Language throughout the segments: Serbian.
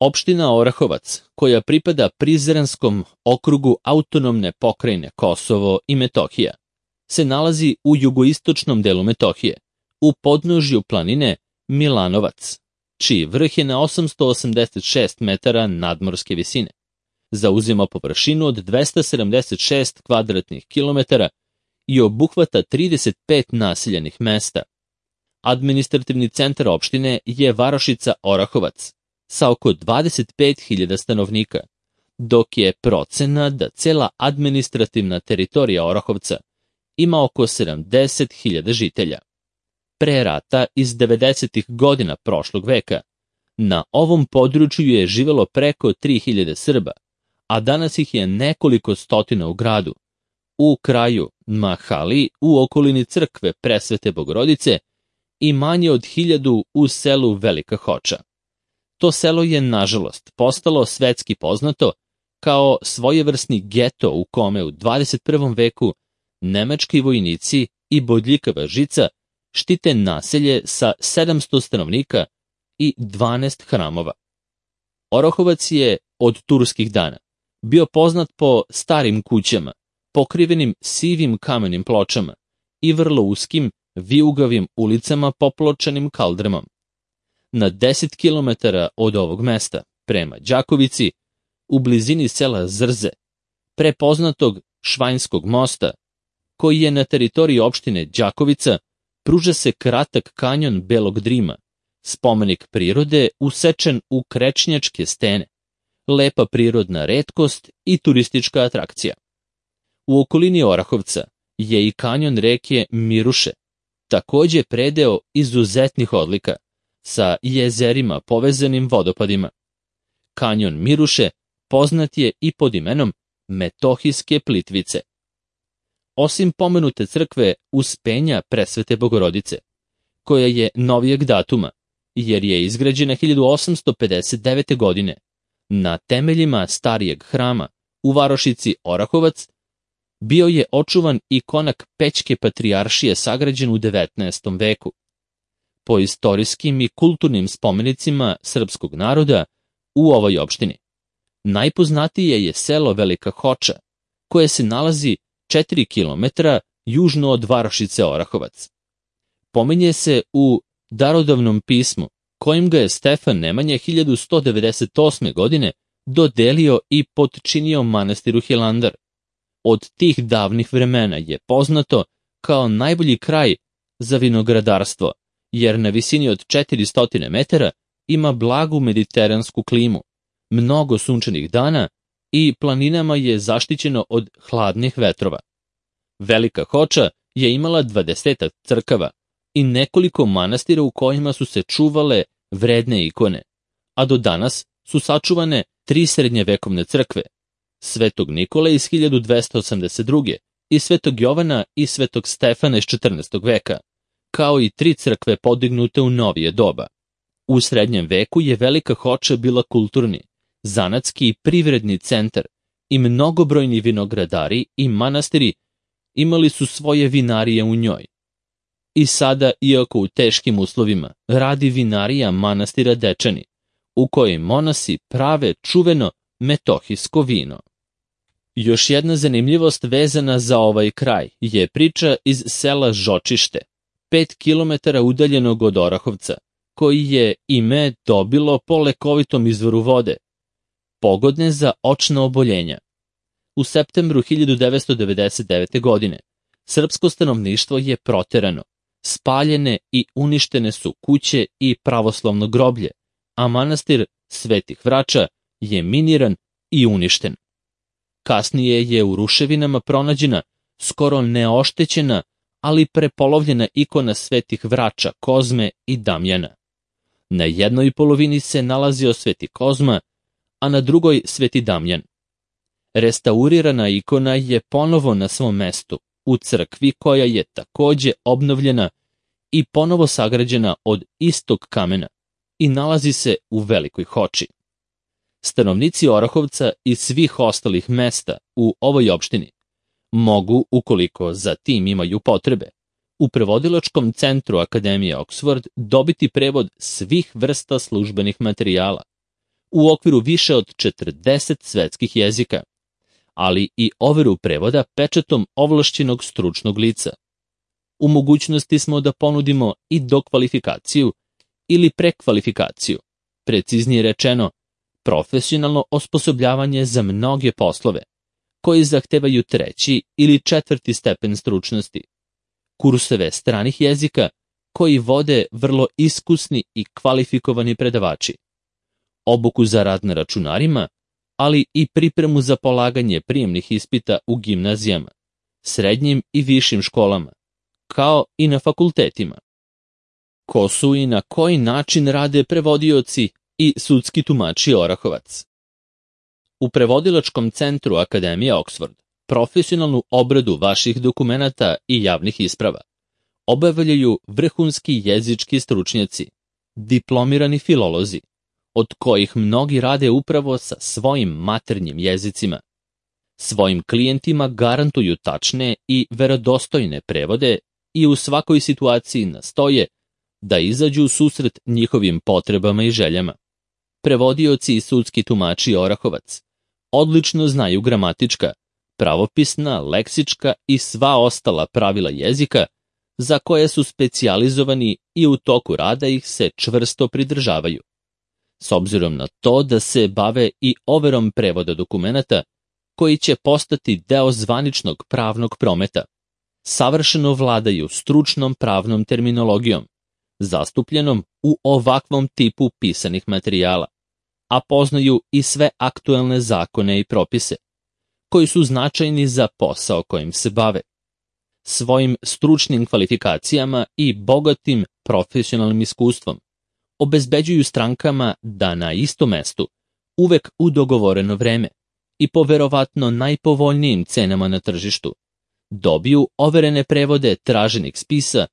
Opština Orahovac, koja pripada Prizrenskom okrugu autonomne pokrajine Kosovo i Metohija, se nalazi u jugoistočnom delu Metohije, u podnožju planine Milanovac, čiji vrh je na 886 metara nadmorske visine. Zauzima površinu od 276 kvadratnih kilometara i obuhvata 35 naseljenih mesta. Administrativni centar opštine je varošica Orahovac sa oko 25.000 stanovnika, dok je procena da cela administrativna teritorija Orahovca ima oko 70.000 žitelja. Pre rata iz 90. godina prošlog veka na ovom području je živelo preko 3.000 Srba, a danas ih je nekoliko stotina u gradu, u kraju Mahali, u okolini crkve Presvete Bogorodice i manje od 1.000 u selu Velika Hoča. To selo je, nažalost, postalo svetski poznato kao svojevrsni geto u kome u 21. veku nemački vojnici i bodljikava žica štite naselje sa 700 stanovnika i 12 hramova. Orahovac je od turskih dana bio poznat po starim kućama, pokrivenim sivim kamenim pločama i vrlo uskim, vijugavim ulicama popločanim kaldrmom. Na 10 km od ovog mesta, prema Đakovici, u blizini sela Zrze, prepoznatog Švajnskog mosta, koji je na teritoriji opštine Đakovica, pruža se kratak kanjon Belog Drima, spomenik prirode usečen u krečnjačke stene, lepa prirodna retkost i turistička atrakcija. U okolini Orahovca je i kanjon reke Miruše, takođe predeo izuzetnih odlika, sa jezerima povezanim vodopadima. Kanjon Miruše poznat je i pod imenom Metohijske Plitvice. Osim pomenute crkve Uspenja Presvete Bogorodice, koja je novijeg datuma, jer je izgrađena 1859. godine, na temeljima starijeg hrama u varošici Orahovac, bio je očuvan i konak Pećke patrijaršije sagrađen u 19. veku. Po istorijskim i kulturnim spomenicima srpskog naroda u ovoj opštini najpoznatije je selo Velika Hoča, koje se nalazi 4 km južno od varošice Orahovac. Pominje se u darodavnom pismu, kojim ga je Stefan Nemanja 1198. godine dodelio i potčinio manastiru Hilandar. Od tih davnih vremena je poznato kao najbolji kraj za vinogradarstvo, jer na visini od 400 metara ima blagu mediteransku klimu, mnogo sunčanih dana i planinama je zaštićeno od hladnih vetrova. Velika Hoča je imala 20 crkava i nekoliko manastira u kojima su se čuvale vredne ikone, a do danas su sačuvane 3 srednjevekovne crkve, Svetog Nikole iz 1282. i Svetog Jovana i Svetog Stefana iz 14. veka, kao i 3 crkve podignute u novije doba. U srednjem veku je Velika Hoča bila kulturni, zanatski i privredni centar i mnogobrojni vinogradari i manastiri imali su svoje vinarije u njoj. I sada, iako u teškim uslovima, radi vinarija manastira Dečani, u kojoj monasi prave čuveno metohijsko vino. Još jedna zanimljivost vezana za ovaj kraj je priča iz sela Žočište, 5 km udaljenog od Orahovca, koji je ime dobilo po lekovitom izvoru vode, pogodne za očna oboljenja. U septembru 1999. godine srpsko stanovništvo je proterano, spaljene i uništene su kuće i pravoslavno groblje, a manastir Svetih Vrača je miniran i uništen. Kasnije je u ruševinama pronađena skoro neoštećena, ali prepolovljena ikona Svetih Vrača, Kozme i Damjana. Na jednoj polovini se nalazio Sveti Kozma, a na drugoj Sveti Damjan. Restaurirana ikona je ponovo na svom mestu, u crkvi koja je takođe obnovljena i ponovo sagrađena od istog kamena i nalazi se u Velikoj Hoči. Stanovnici Orahovca i svih ostalih mesta u ovoj opštini mogu, ukoliko za tim imaju potrebe, u prevodilačkom centru Akademije Oxford dobiti prevod svih vrsta službenih materijala, u okviru više od 40 svetskih jezika, ali i overu prevoda pečatom ovlašćenog stručnog lica. U mogućnosti smo da ponudimo i dokvalifikaciju ili prekvalifikaciju, preciznije rečeno, profesionalno osposobljavanje za mnoge poslove, koji zahtevaju 3. ili 4. stepen stručnosti, kurseve stranih jezika koji vode vrlo iskusni i kvalifikovani predavači, obuku za rad na računarima, ali i pripremu za polaganje prijemnih ispita u gimnazijama, srednjim i višim školama, kao i na fakultetima. Ko su i na koji način rade prevodioci i sudski tumači Orahovac? U Prevodilačkom centru Akademije Oxford profesionalnu obradu vaših dokumenata i javnih isprava obavljaju vrhunski jezički stručnjaci, diplomirani filolozi, od kojih mnogi rade upravo sa svojim maternjim jezicima. Svojim klijentima garantuju tačne i verodostojne prevode i u svakoj situaciji nastoje da izađu u susret njihovim potrebama i željama. Prevodioci i sudski tumači Orahovac odlično znaju gramatička, pravopisna, leksička i sva ostala pravila jezika za koje su specijalizovani i u toku rada ih se čvrsto pridržavaju. S obzirom na to da se bave i overom prevoda dokumenata koji će postati deo zvaničnog pravnog prometa, savršeno vladaju stručnom pravnom terminologijom, zastupljenom u ovakvom tipu pisanih materijala, a poznaju i sve aktuelne zakone i propise, koji su značajni za posao kojim se bave. Svojim stručnim kvalifikacijama i bogatim profesionalnim iskustvom obezbeđuju strankama da na istom mestu, uvek u dogovoreno vreme i po verovatno najpovoljnijim cenama na tržištu, dobiju overene prevode traženih spisa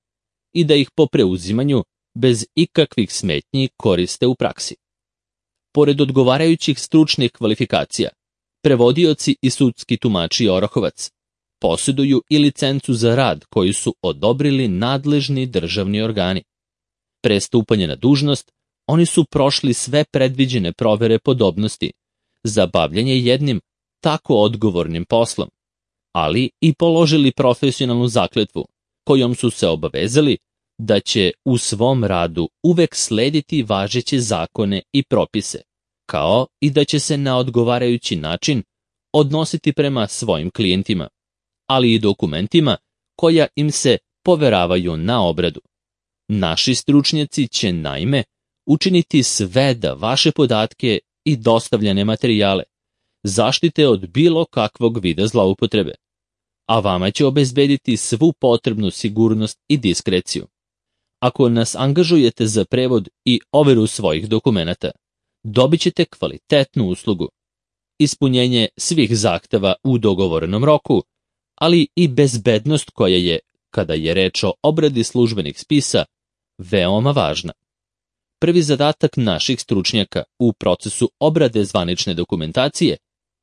i da ih po preuzimanju bez ikakvih smetnji koriste u praksi. Pored odgovarajućih stručnih kvalifikacija, prevodioci i sudski tumači Orahovac posjeduju i licencu za rad koju su odobrili nadležni državni organi. Pre stupanja na dužnost, oni su prošli sve predviđene provere podobnosti za bavljanje jednim tako odgovornim poslom, ali i položili profesionalnu zakletvu kojom su se obavezali da će u svom radu uvek slediti važeće zakone i propise, kao i da će se na odgovarajući način odnositi prema svojim klijentima, ali i dokumentima koja im se poveravaju na obradu. Naši stručnjaci će naime učiniti sve da vaše podatke i dostavljene materijale zaštite od bilo kakvog vida zloupotrebe, a vama će obezbediti svu potrebnu sigurnost i diskreciju. Ako nas angažujete za prevod i overu svojih dokumenata, dobit ćete kvalitetnu uslugu, ispunjenje svih zahteva u dogovorenom roku, ali i bezbednost koja je, kada je reč o obradi službenih spisa, veoma važna. Prvi zadatak naših stručnjaka u procesu obrade zvanične dokumentacije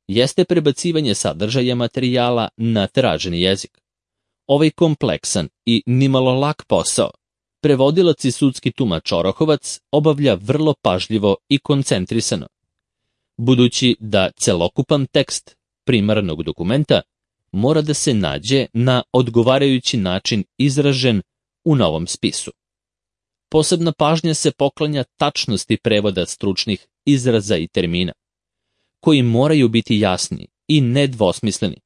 jeste prebacivanje sadržaja materijala na traženi jezik. Ovaj kompleksan i nimalo lak posao prevodilac i sudski tumač Orahovac obavlja vrlo pažljivo i koncentrisano, budući da celokupan tekst primarnog dokumenta mora da se nađe na odgovarajući način izražen u novom spisu. Posebna pažnja se poklanja tačnosti prevoda stručnih izraza i termina, koji moraju biti jasni i nedvosmisleni,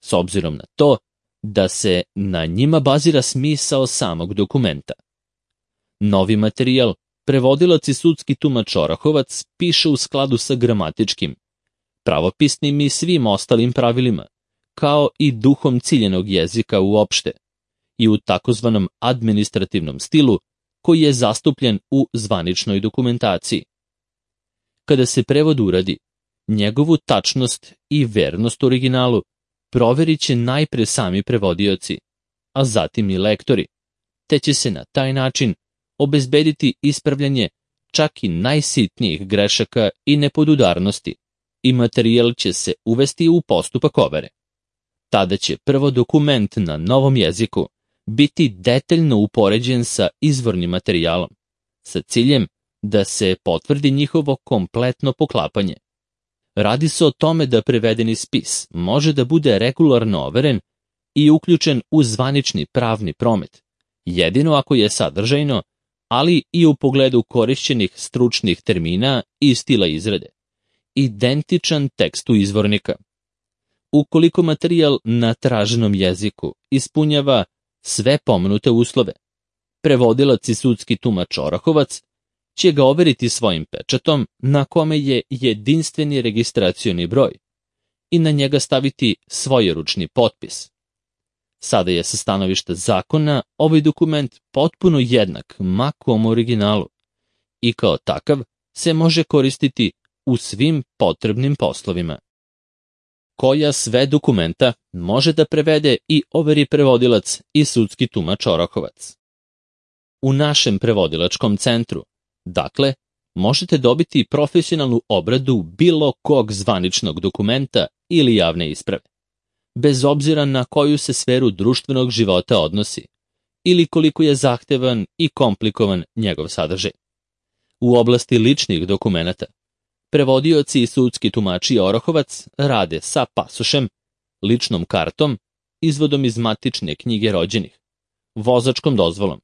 s obzirom na to da se na njima bazira smisao samog dokumenta. Novi materijal prevodilac i sudski tumač Orahovac piše u skladu sa gramatičkim, pravopisnim i svim ostalim pravilima, kao i duhom ciljenog jezika uopšte, i u takozvanom administrativnom stilu koji je zastupljen u zvaničnoj dokumentaciji. Kada se prevod uradi, njegovu tačnost i vernost originalu proverit će najpre sami prevodioci, a zatim i lektori, te će se na taj način obezbediti ispravljanje čak i najsitnijih grešaka i nepodudarnosti i materijal će se uvesti u postupak overe. Tada će prvo dokument na novom jeziku biti detaljno upoređen sa izvornim materijalom, sa ciljem da se potvrdi njihovo kompletno poklapanje. Radi se o tome da prevedeni spis može da bude regularno overen i uključen u zvanični pravni promet, jedino ako je sadržajno, ali i u pogledu korišćenih stručnih termina i stila izrade, identičan tekstu izvornika. Ukoliko materijal na traženom jeziku ispunjava sve pomenute uslove, prevodilac i sudski tumač Orahovac će ga overiti svojim pečatom na kome je jedinstveni registracioni broj i na njega staviti svojeručni potpis. Sada je sa stanovišta zakona ovaj dokument potpuno jednak makom originalu i kao takav se može koristiti u svim potrebnim poslovima. Koja sve dokumenta može da prevede i overi prevodilac i sudski tumač Orahovac? U našem prevodilačkom centru, dakle, možete dobiti profesionalnu obradu bilo kog zvaničnog dokumenta ili javne isprave, bez obzira na koju se sferu društvenog života odnosi ili koliko je zahtevan i komplikovan njegov sadržaj. U oblasti ličnih dokumenata, prevodioci i sudski tumači Orahovac rade sa pasošem, ličnom kartom, izvodom iz matične knjige rođenih, vozačkom dozvolom,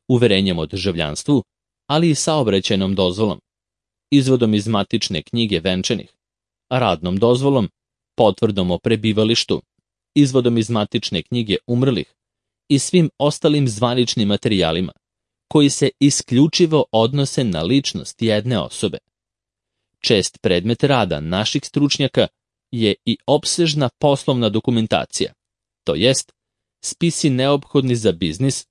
uverenjem o državljanstvu, ali i saobraćajnom dozvolom, izvodom iz matične knjige venčanih, radnom dozvolom, potvrdom o prebivalištu, izvodom iz matične knjige umrlih i svim ostalim zvaničnim materijalima koji se isključivo odnose na ličnost jedne osobe. Čest predmet rada naših stručnjaka je i opsežna poslovna dokumentacija, to jest spisi neophodni za biznis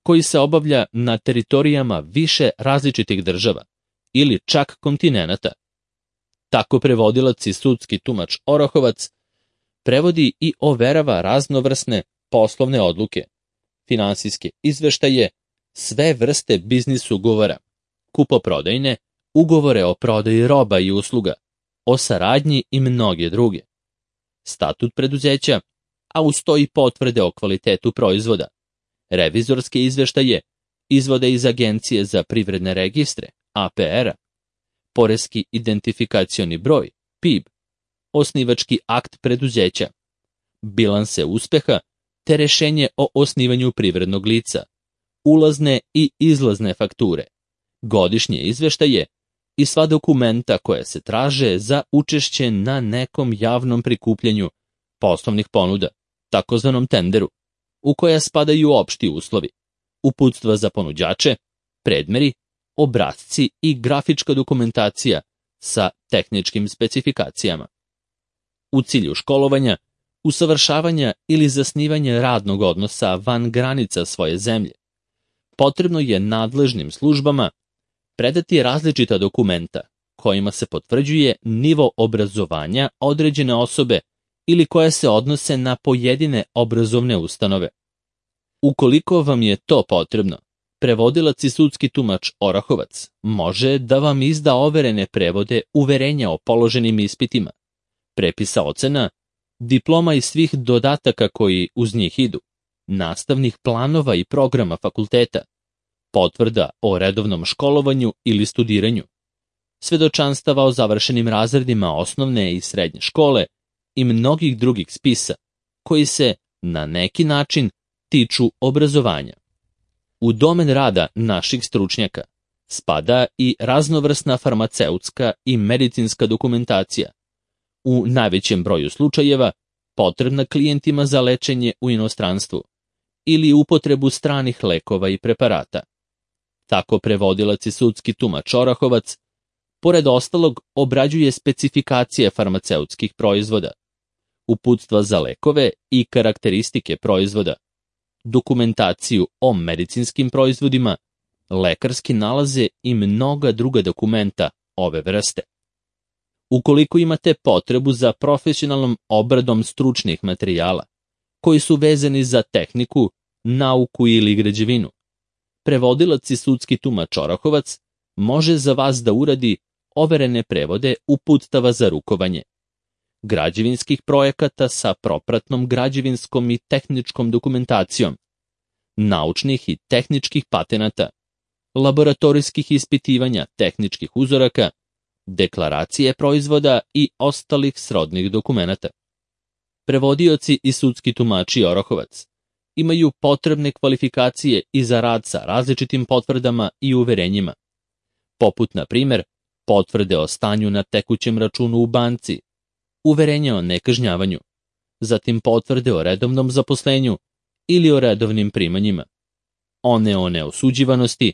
koji se obavlja na teritorijama više različitih država ili čak kontinenata. Tako prevodilac i sudski tumač Orahovac prevodi i overava raznovrsne poslovne odluke, finansijske izveštaje, sve vrste biznis ugovora, kupoprodajne, ugovore o prodaji roba i usluga, o saradnji i mnoge druge, statut preduzeća, a uz to i potvrde o kvalitetu proizvoda, revizorske izveštaje, izvode iz Agencije za privredne registre, APR-a, poreski identifikacioni broj, PIB, osnivački akt preduzeća, bilanse uspeha te rešenje o osnivanju privrednog lica, ulazne i izlazne fakture, godišnje izveštaje i sva dokumenta koja se traže za učešće na nekom javnom prikupljanju poslovnih ponuda, takozvanom tenderu, u koja spadaju opšti uslovi, uputstva za ponuđače, predmeri, obrasci i grafička dokumentacija sa tehničkim specifikacijama. U cilju školovanja, usavršavanja ili zasnivanja radnog odnosa van granica svoje zemlje, potrebno je nadležnim službama predati različita dokumenta kojima se potvrđuje nivo obrazovanja određene osobe ili koje se odnose na pojedine obrazovne ustanove. Ukoliko vam je to potrebno, prevodilac i sudski tumač Orahovac može da vam izda overene prevode uverenja o položenim ispitima, prepisa ocena, diploma i svih dodataka koji uz njih idu, nastavnih planova i programa fakulteta, potvrda o redovnom školovanju ili studiranju, svedočanstava o završenim razredima osnovne i srednje škole i mnogih drugih spisa koji se na neki način tiču obrazovanja. U domen rada naših stručnjaka spada i raznovrsna farmaceutska i medicinska dokumentacija, u najvećem broju slučajeva potrebna klijentima za lečenje u inostranstvu ili upotrebu stranih lekova i preparata. Tako prevodilac i sudski tumač Orahovac, pored ostalog, obrađuje specifikacije farmaceutskih proizvoda, uputstva za lekove i karakteristike proizvoda, dokumentaciju o medicinskim proizvodima, lekarski nalaze i mnoga druga dokumenta ove vrste. Ukoliko imate potrebu za profesionalnom obradom stručnih materijala, koji su vezani za tehniku, nauku ili građevinu, prevodilac i sudski tumač Orahovac može za vas da uradi overene prevode uputstava za rukovanje, građevinskih projekata sa propratnom građevinskom i tehničkom dokumentacijom, naučnih i tehničkih patenata, laboratorijskih ispitivanja tehničkih uzoraka, deklaracije proizvoda i ostalih srodnih dokumenata. Prevodioci i sudski tumači Orahovac imaju potrebne kvalifikacije i za rad sa različitim potvrdama i uverenjima, poput, na primjer, potvrde o stanju na tekućem računu u banci, uverenja o nekažnjavanju, zatim potvrde o redovnom zaposlenju ili o redovnim primanjima, o neosuđivanosti,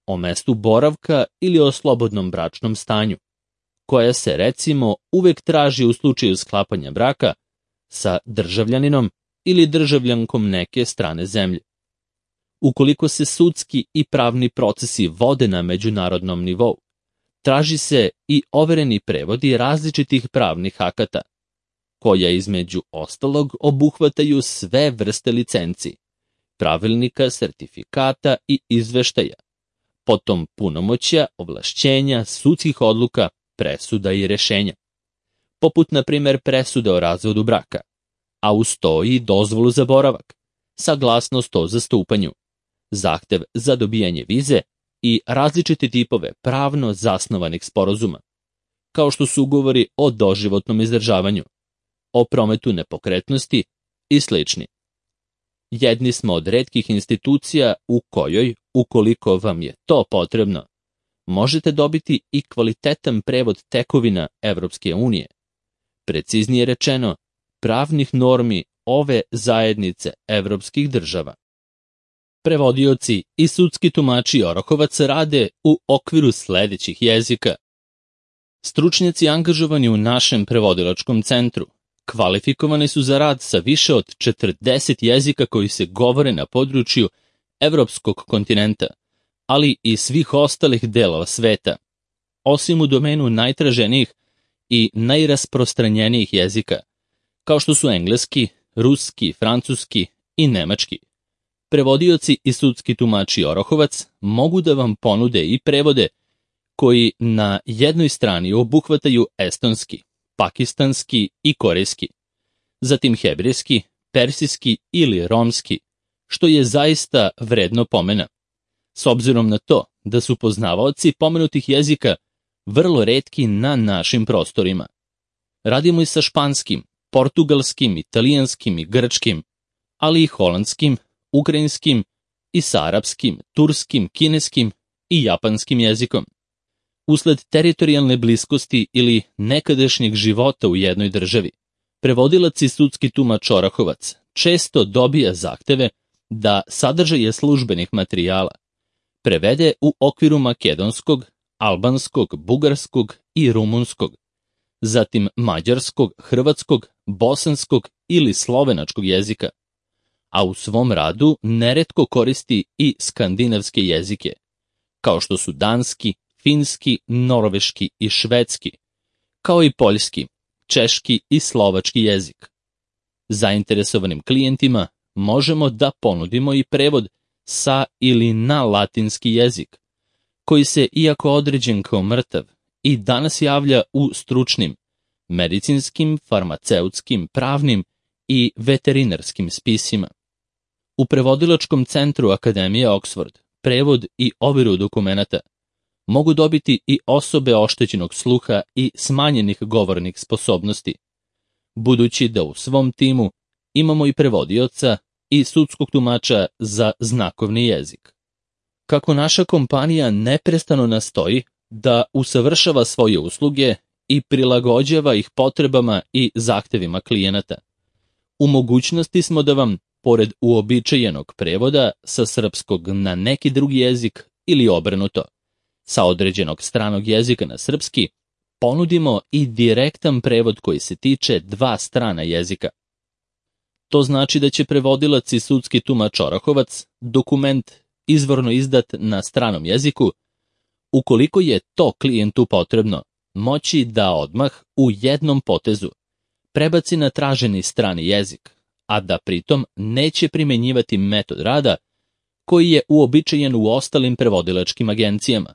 o mestu boravka ili o slobodnom bračnom stanju, koja se, recimo, uvek traži u slučaju sklapanja braka sa državljaninom ili državljankom neke strane zemlje. Ukoliko se sudski i pravni procesi vode na međunarodnom nivou, traži se i overeni prevodi različitih pravnih akata, koja između ostalog obuhvataju sve vrste licenci, pravilnika, sertifikata i izveštaja, potom punomoćja, ovlašćenja, sudskih odluka, presuda i rešenja, poput, na primjer, presude o razvodu braka, a uz to i dozvolu za boravak, saglasnost o zastupanju, zahtev za dobijanje vize i različite tipove pravno zasnovanih sporazuma, kao što su ugovori o doživotnom izdržavanju, o prometu nepokretnosti i slični. Jedni smo od retkih institucija u kojoj, ukoliko vam je to potrebno, možete dobiti i kvalitetan prevod tekovina Evropske unije, preciznije rečeno, pravnih normi ove zajednice evropskih država. Prevodioci i sudski tumači Orahovac rade u okviru sledećih jezika. Stručnjaci angažovani u našem prevodilačkom centru kvalifikovani su za rad sa više od 40 jezika koji se govore na području evropskog kontinenta, ali i svih ostalih delova sveta, osim u domenu najtraženijih i najrasprostranjenijih jezika, kao što su engleski, ruski, francuski i nemački. Prevodioci i sudski tumači Orahovac mogu da vam ponude i prevode koji na jednoj strani obuhvataju estonski, pakistanski i korejski, zatim hebrejski, persijski ili romski, što je zaista vredno pomena, s obzirom na to da su poznavaoci pomenutih jezika vrlo retki na našim prostorima. Radimo i sa španskim, portugalskim, italijanskim i grčkim, ali i holandskim, ukrajinskim i sa arapskim, turskim, kineskim i japanskim jezikom. Usled teritorijalne bliskosti ili nekadašnjeg života u jednoj državi, prevodilac i sudski tumač Orahovac često dobija zahteve da sadržaje službenih materijala prevede u okviru makedonskog, albanskog, bugarskog i rumunskog, zatim mađarskog, hrvatskog, bosanskog ili slovenačkog jezika, a u svom radu neretko koristi i skandinavske jezike, kao što su danski, finski, norveški i švedski, kao i poljski, češki i slovački jezik. Zainteresovanim klijentima možemo da ponudimo i prevod sa ili na latinski jezik, koji se, iako određen kao mrtav, i danas javlja u stručnim, medicinskim, farmaceutskim, pravnim i veterinarskim spisima. U prevodilačkom centru Akademije Oxford prevod i overu dokumenata mogu dobiti i osobe oštećenog sluha i smanjenih govornih sposobnosti, budući da u svom timu imamo i prevodioca i sudskog tumača za znakovni jezik. Kako naša kompanija neprestano nastoji da usavršava svoje usluge i prilagođava ih potrebama i zahtevima klijenata, u mogućnosti smo da vam, pored uobičajenog prevoda sa srpskog na neki drugi jezik ili obrnuto, sa određenog stranog jezika na srpski, ponudimo i direktan prevod koji se tiče dva strana jezika. To znači da će prevodilac i sudski tumač Orahovac dokument izvorno izdat na stranom jeziku, ukoliko je to klijentu potrebno, moći da odmah u jednom potezu prebaci na traženi strani jezik, a da pritom neće primenjivati metod rada koji je uobičajen u ostalim prevodilačkim agencijama.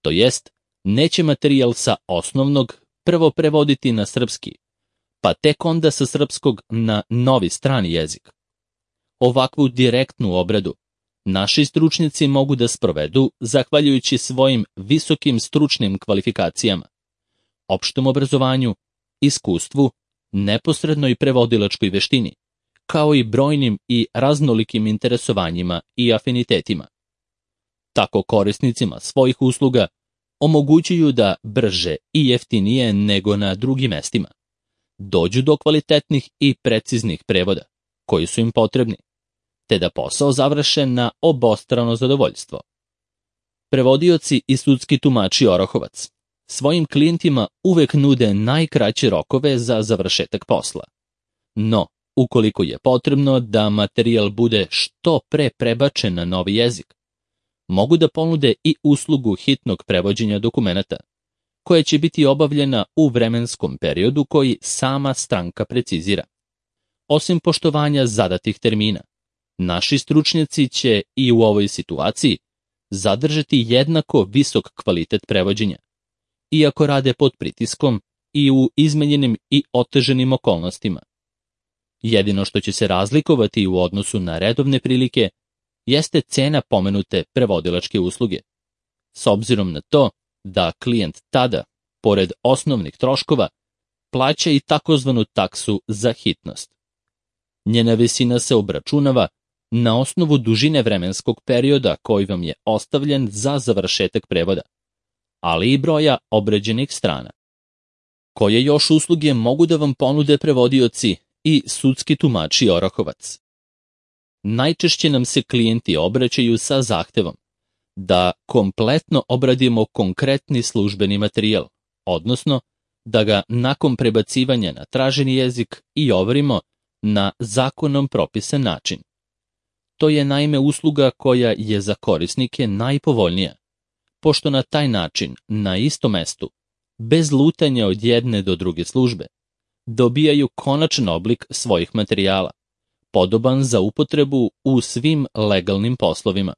To jest, neće materijal sa osnovnog prvo prevoditi na srpski, pa tek onda sa srpskog na novi strani jezik. Ovakvu direktnu obradu naši stručnjaci mogu da sprovedu zahvaljujući svojim visokim stručnim kvalifikacijama, opštem obrazovanju, iskustvu, neposrednoj prevodilačkoj veštini, kao i brojnim i raznolikim interesovanjima i afinitetima. Tako korisnicima svojih usluga omogućuju da brže i jeftinije nego na drugim mestima dođu do kvalitetnih i preciznih prevoda koji su im potrebni, te da posao završe na obostrano zadovoljstvo. Prevodioci i sudski tumači Orahovac svojim klijentima uvek nude najkraće rokove za završetak posla. No, ukoliko je potrebno da materijal bude što pre prebačen na novi jezik, mogu da ponude i uslugu hitnog prevođenja dokumenata, koja će biti obavljena u vremenskom periodu koji sama stranka precizira. Osim poštovanja zadatih termina, naši stručnjaci će i u ovoj situaciji zadržati jednako visok kvalitet prevođenja, iako rade pod pritiskom i u izmenjenim i oteženim okolnostima. Jedino što će se razlikovati u odnosu na redovne prilike jeste cena pomenute prevodilačke usluge, s obzirom na to da klijent tada, pored osnovnih troškova, plaća i takozvanu taksu za hitnost. Njena visina se obračunava na osnovu dužine vremenskog perioda koji vam je ostavljen za završetak prevoda, ali i broja obrađenih strana. Koje još usluge mogu da vam ponude prevodioci i sudski tumači Orahovac? Najčešće nam se klijenti obraćaju sa zahtevom da kompletno obradimo konkretni službeni materijal, odnosno da ga nakon prebacivanja na traženi jezik i overimo na zakonom propisan način. To je naime usluga koja je za korisnike najpovoljnija, pošto na taj način, na istom mestu, bez lutanja od jedne do druge službe, dobijaju konačan oblik svojih materijala, podoban za upotrebu u svim legalnim poslovima.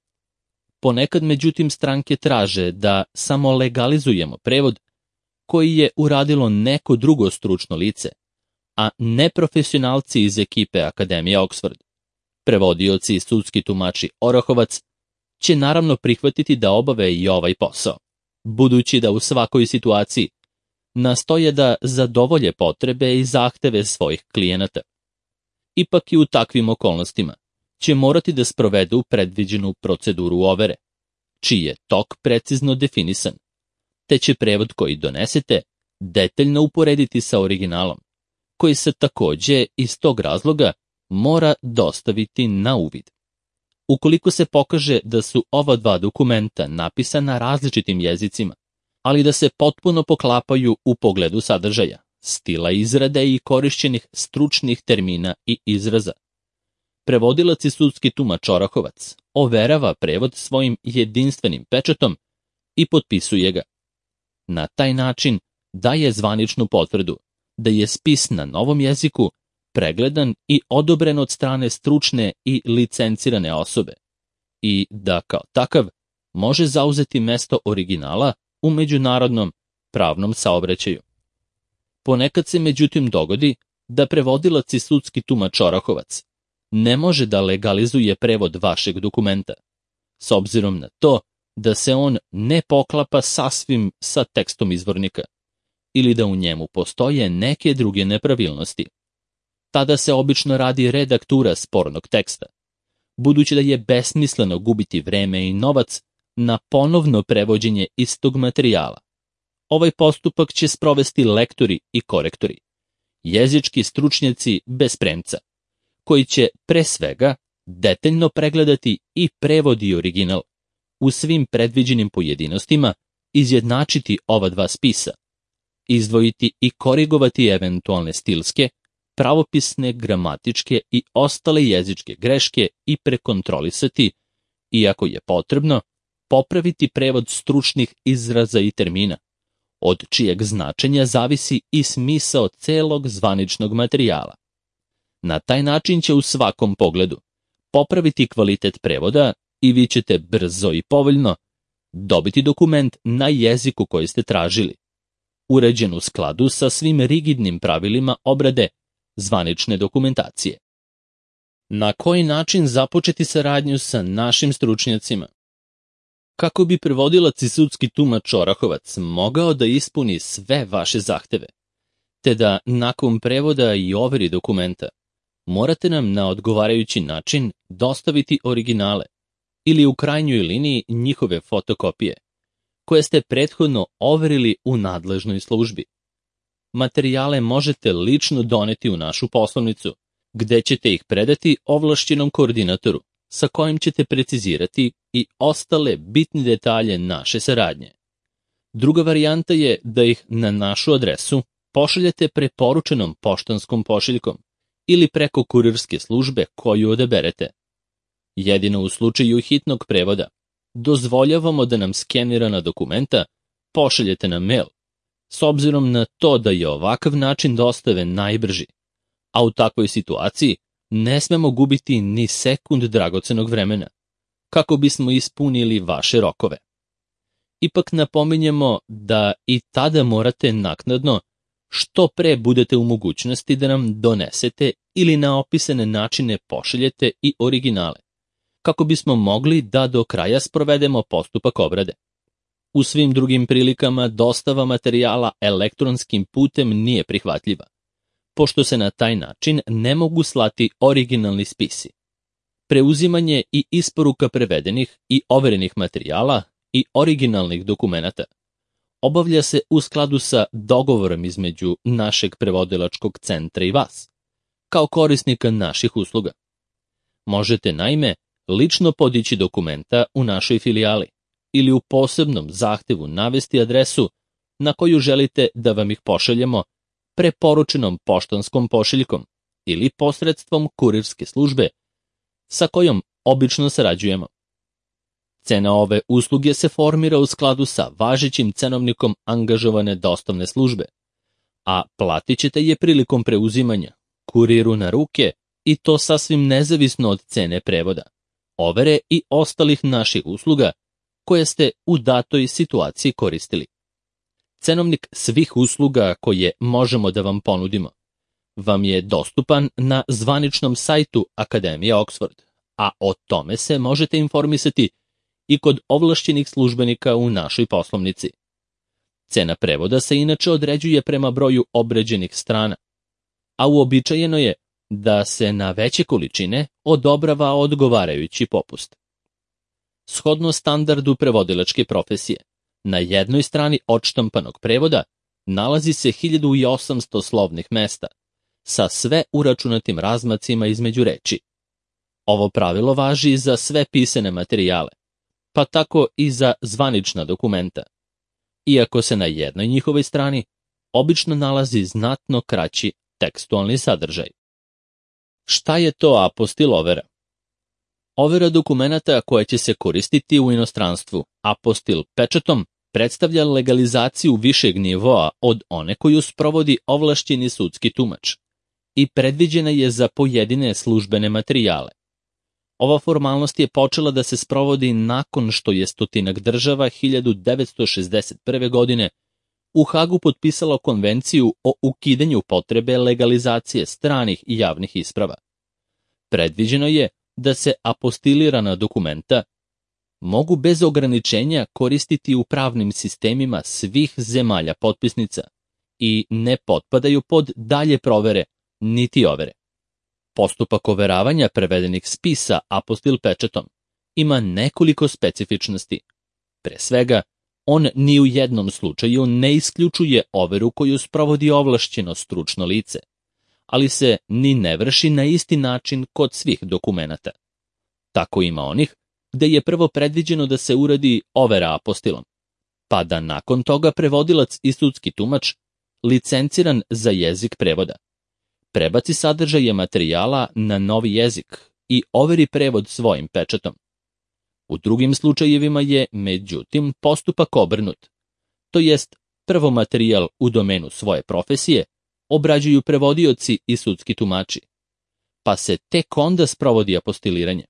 Ponekad, međutim, stranke traže da samo legalizujemo prevod koji je uradilo neko drugo stručno lice, a ne profesionalci iz ekipe Akademije Oxford. Prevodioci i sudski tumači Orahovac će naravno prihvatiti da obave i ovaj posao, budući da u svakoj situaciji nastoje da zadovolje potrebe i zahteve svojih klijenata. Ipak i u takvim okolnostima će morati da sprovedu predviđenu proceduru overe, čiji je tok precizno definisan, te će prevod koji donesete detaljno uporediti sa originalom, koji se takođe iz tog razloga mora dostaviti na uvid. Ukoliko se pokaže da su ova dva dokumenta napisana različitim jezicima, ali da se potpuno poklapaju u pogledu sadržaja, stila izrade i korišćenih stručnih termina i izraza, prevodilac i sudski tumač Orahovac overava prevod svojim jedinstvenim pečatom i potpisuje ga. Na taj način daje zvaničnu potvrdu da je spis na novom jeziku pregledan i odobren od strane stručne i licencirane osobe i da kao takav može zauzeti mesto originala u međunarodnom pravnom saobraćaju. Ponekad se međutim dogodi da prevodilac i sudski tumač Orahovac ne može da legalizuje prevod vašeg dokumenta, s obzirom na to da se on ne poklapa sasvim sa tekstom izvornika ili da u njemu postoje neke druge nepravilnosti. Tada se obično radi redaktura spornog teksta, budući da je besmisleno gubiti vreme i novac na ponovno prevođenje istog materijala. Ovaj postupak će sprovesti lektori i korektori, jezički stručnjaci bez premca, koji će pre svega detaljno pregledati i prevod i original, u svim predviđenim pojedinostima izjednačiti ova dva spisa, izdvojiti i korigovati eventualne stilske, pravopisne, gramatičke i ostale jezičke greške i prekontrolisati, i ako je potrebno, popraviti prevod stručnih izraza i termina, od čijeg značenja zavisi i smisao celog zvaničnog materijala. Na taj način će u svakom pogledu popraviti kvalitet prevoda i vi ćete brzo i povoljno dobiti dokument na jeziku koji ste tražili, uređen u skladu sa svim rigidnim pravilima obrade zvanične dokumentacije. Na koji način započeti saradnju sa našim stručnjacima? Kako bi prevodilac i sudski tumač Orahovac mogao da ispuni sve vaše zahteve, te da nakon prevoda i overi dokumenta, morate nam na odgovarajući način dostaviti originale ili u krajnjoj liniji njihove fotokopije, koje ste prethodno overili u nadležnoj službi. Materijale možete lično doneti u našu poslovnicu, gde ćete ih predati ovlašćenom koordinatoru, sa kojim ćete precizirati i ostale bitne detalje naše saradnje. Druga varijanta je da ih na našu adresu pošaljete preporučenom poštanskom pošiljkom ili preko kurirske službe koju odaberete. Jedino u slučaju hitnog prevoda dozvoljavamo da nam skenirana dokumenta pošaljete na mail, s obzirom na to da je ovakav način dostave najbrži, a u takvoj situaciji ne smemo gubiti ni sekund dragocenog vremena, kako bismo ispunili vaše rokove. Ipak napominjemo da i tada morate naknadno, što pre budete u mogućnosti da nam donesete ili na opisane načine pošaljete i originale, kako bismo mogli da do kraja sprovedemo postupak obrade. U svim drugim prilikama dostava materijala elektronskim putem nije prihvatljiva, pošto se na taj način ne mogu slati originalni spisi. Preuzimanje i isporuka prevedenih i overenih materijala i originalnih dokumenata obavlja se u skladu sa dogovorom između našeg prevodilačkog centra i vas, kao korisnika naših usluga. Možete naime lično podići dokumenta u našoj filijali ili u posebnom zahtevu navesti adresu na koju želite da vam ih pošaljemo preporučenom poštanskom pošiljkom ili posredstvom kurirske službe sa kojom obično sarađujemo. Cena ove usluge se formira u skladu sa važećim cenovnikom angažovane dostavne službe, a platit ćete je prilikom preuzimanja, kuriru na ruke, i to sasvim nezavisno od cene prevoda, overe i ostalih naših usluga koje ste u datoj situaciji koristili. Cenovnik svih usluga koje možemo da vam ponudimo vam je dostupan na zvaničnom sajtu Akademije Oxford, a o tome se možete informisati i kod ovlašćenih službenika u našoj poslovnici. Cena prevoda se inače određuje prema broju obrađenih strana, a uobičajeno je da se na veće količine odobrava odgovarajući popust. Shodno standardu prevodilačke profesije, na jednoj strani odštampanog prevoda nalazi se 1800 slovnih mesta, sa sve uračunatim razmacima između reči. Ovo pravilo važi za sve pisane materijale, pa tako i za zvanična dokumenta, iako se na jednoj njihovoj strani obično nalazi znatno kraći tekstualni sadržaj. Šta je to apostil overa? Overa dokumenata koja će se koristiti u inostranstvu apostil pečatom predstavlja legalizaciju višeg nivoa od one koju sprovodi ovlašćeni sudski tumač i predviđena je za pojedine službene materijale. Ova formalnost je počela da se sprovodi nakon što je stotinak država 1961. godine u Hagu potpisalo konvenciju o ukidanju potrebe legalizacije stranih i javnih isprava. Predviđeno je da se apostilirana dokumenta mogu bez ograničenja koristiti u pravnim sistemima svih zemalja potpisnica i ne potpadaju pod dalje provere niti overe. Postupak overavanja prevedenih spisa apostil pečatom ima nekoliko specifičnosti. Pre svega, on ni u jednom slučaju ne isključuje overu koju sprovodi ovlašćeno stručno lice, ali se ni ne vrši na isti način kod svih dokumenata. Tako ima onih gde je prvo predviđeno da se uradi overa apostilom, pa da nakon toga prevodilac i sudski tumač, licenciran za jezik prevoda, prebaci sadržaje materijala na novi jezik i overi prevod svojim pečatom. U drugim slučajevima je, međutim, postupak obrnut, to jest prvo materijal u domenu svoje profesije obrađuju prevodioci i sudski tumači, pa se tek onda sprovodi apostiliranje.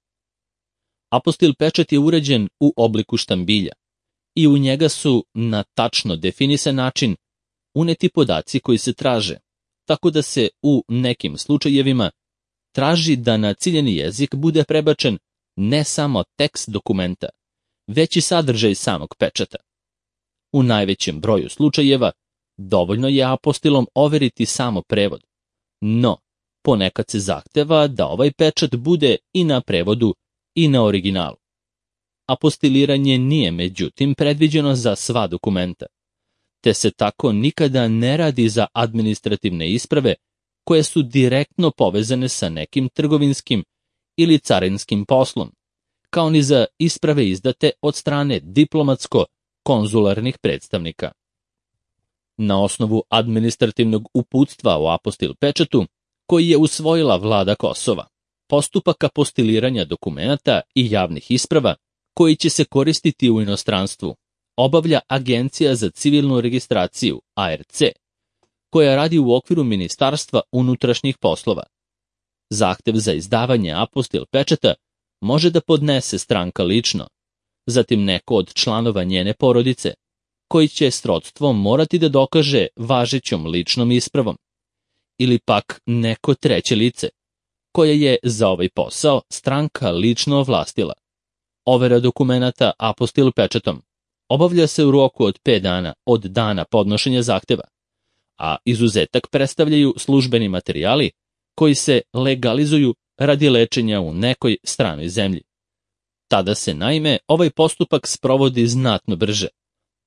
Apostil pečat je uređen u obliku štambilja i u njega su na tačno definisan način uneti podaci koji se traže, tako da se u nekim slučajevima traži da na ciljani jezik bude prebačen ne samo tekst dokumenta, već i sadržaj samog pečata. U najvećem broju slučajeva dovoljno je apostilom overiti samo prevod, no ponekad se zahteva da ovaj pečat bude i na prevodu i na originalu. Apostiliranje nije međutim predviđeno za sva dokumenta, te se tako nikada ne radi za administrativne isprave koje su direktno povezane sa nekim trgovinskim ili carinskim poslom, kao ni za isprave izdate od strane diplomatsko-konzularnih predstavnika. Na osnovu administrativnog uputstva o apostil pečatu, koji je usvojila vlada Kosova, postupak apostiliranja dokumenata i javnih isprava koji će se koristiti u inostranstvu obavlja Agencija za civilnu registraciju, ARC, koja radi u okviru Ministarstva unutrašnjih poslova. Zahtev za izdavanje apostil pečata može da podnese stranka lično, zatim neko od članova njene porodice, koji će srodstvo morati da dokaže važećom ličnom ispravom, ili pak neko treće lice, koje je za ovaj posao stranka lično ovlastila. Overa dokumenata apostil pečatom obavlja se u roku od 5 dana od dana podnošenja zahteva, a izuzetak predstavljaju službeni materijali koji se legalizuju radi lečenja u nekoj stranoj zemlji. Tada se naime ovaj postupak sprovodi znatno brže.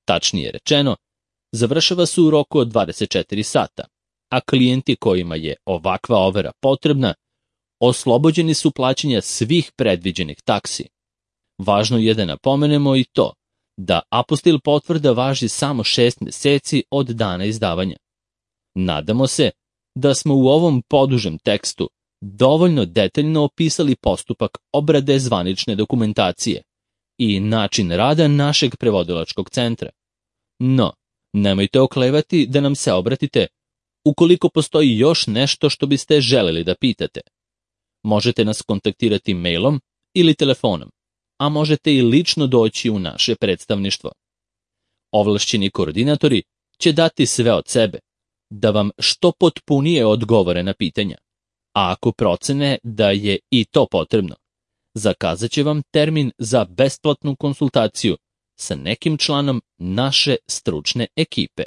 Tačnije rečeno, završava se u roku od 24 sata, a klijenti kojima je ovakva overa potrebna oslobođeni su plaćanja svih predviđenih taksi. Važno je da napomenemo i to da apostil potvrda važi samo 6 meseci od dana izdavanja. Nadamo se da smo u ovom podužem tekstu dovoljno detaljno opisali postupak obrade zvanične dokumentacije i način rada našeg prevodilačkog centra. No, nemojte oklevati da nam se obratite ukoliko postoji još nešto što biste želeli da pitate. Možete nas kontaktirati mailom ili telefonom, a možete i lično doći u naše predstavništvo. Ovlašćeni koordinatori će dati sve od sebe da vam što potpunije odgovore na pitanja, a ako procene da je i to potrebno, zakazat će vam termin za besplatnu konsultaciju sa nekim članom naše stručne ekipe.